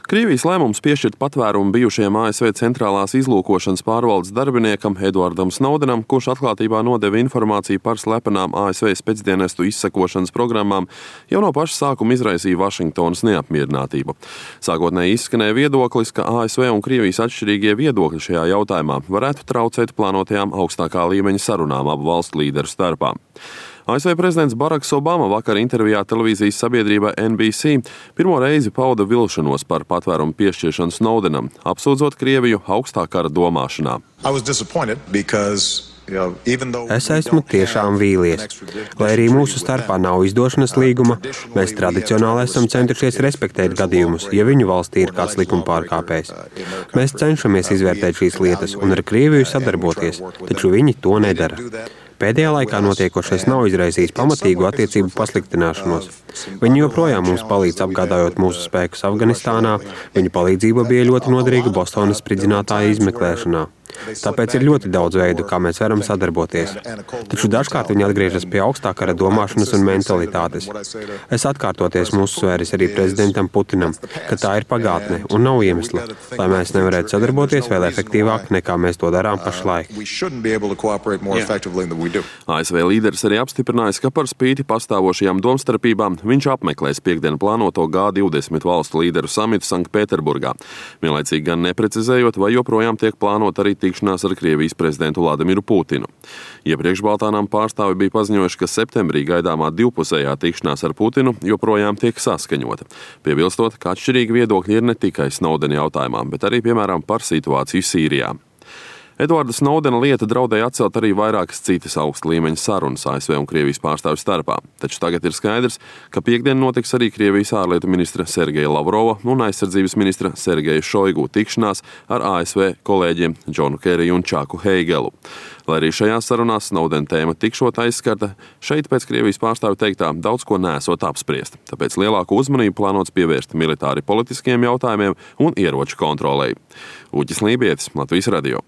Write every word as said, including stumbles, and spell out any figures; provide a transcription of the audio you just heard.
Krievijas lēmums piešķirt patvērumu bijušajam A S V centrālās izlūkošanas pārvaldes darbiniekam Edvardam Snowdenam, kurš atklātībā nodeva informāciju par slepenām A S V spēcdienestu izsekošanas programmām, jau no paša sākuma izraisīja Vašingtonas neapmierinātību. Sākotnēji izskanēja viedoklis, ka A S V un Krievijas atšķirīgie viedokļi šajā jautājumā varētu traucēt plānotajām augstākā līmeņa sarunām abu valstu līderu starpā. A S V prezidents Baraks Obama vakar intervijā televīzijas sabiedrībai N B C pirmo reizi pauda vilšanos par patvērumu piešķiršanu Snowdenam, apsūdzot Krieviju augstā kara domāšanā. Es esmu tiešām vīlies. Lai arī mūsu starpā nav izdošanas līguma, mēs tradicionāli esam centušies respektēt gadījumus, ja viņu valstī ir kāds likuma pārkāpējs. Mēs cenšamies izvērtēt šīs lietas un ar Krieviju sadarboties, taču viņi to nedara. Pēdējā laikā notiekošais nav izraisījis pamatīgu attiecību pasliktināšanos. Viņi joprojām mums palīdz apgādājot mūsu spēkus Afganistānā, viņu palīdzība bija ļoti noderīga Bostonas spridzinātāja izmeklēšanā. Tāpēc ir ļoti daudz veidu, kā mēs varam sadarboties. Taču dažkārt viņi atgriežas pie augstā kara domāšanas un mentalitātes. Es atkārtoties mūsu svēris arī prezidentam Putinam, ka tā ir pagātne un nav iemesla, lai mēs nevarētu sadarboties vēl efektīvāk, nekā mēs to darām pašlaik. A S V līderis arī apstiprinājis, ka par spīti pastāvošajām domstarpībām viņš apmeklēs piekdien plānoto G divdesmit valstu līderu samitu Sanktpēterburgā, vienlaicīgi gan neprecizējot, vai joprojām tiek plānot arī tikšanās ar Krievijas prezidentu Vladimiru Putinu. Iepriekš Baltānām pārstāvi bija paziņojuši, ka septembrī gaidāmā divpusējā tikšanās ar Putinu joprojām tiek saskaņota, piebilstot, ka atšķirīgi viedokļi ir ne tikai Snowdena jautājumā, bet arī, piemēram, par situāciju Sīrijā. Edvarda Snowdena lieta draudēja atcelt arī vairākas citas augsta līmeņa sarunas A S V un Krievijas pārstāvju starpā, taču tagad ir skaidrs, ka piekdien notiks arī Krievijas ārlietu ministra Sergeja Lavrova un aizsardzības ministra Sergeja Šoigu tikšanās ar A S V kolēģiem Džonu Keriju un Čaku Heigelu. Lai arī šajās sarunās Snowdena tēma tikšot aizskarta, šeit pēc Krievijas pārstāvju teiktā daudz ko nesot apspriest, tāpēc lielāku uzmanību plānots pievērst militāri politiskiem jautājumiem un ieroču kontrolei. Uģis Lībietis, Latvijas radio.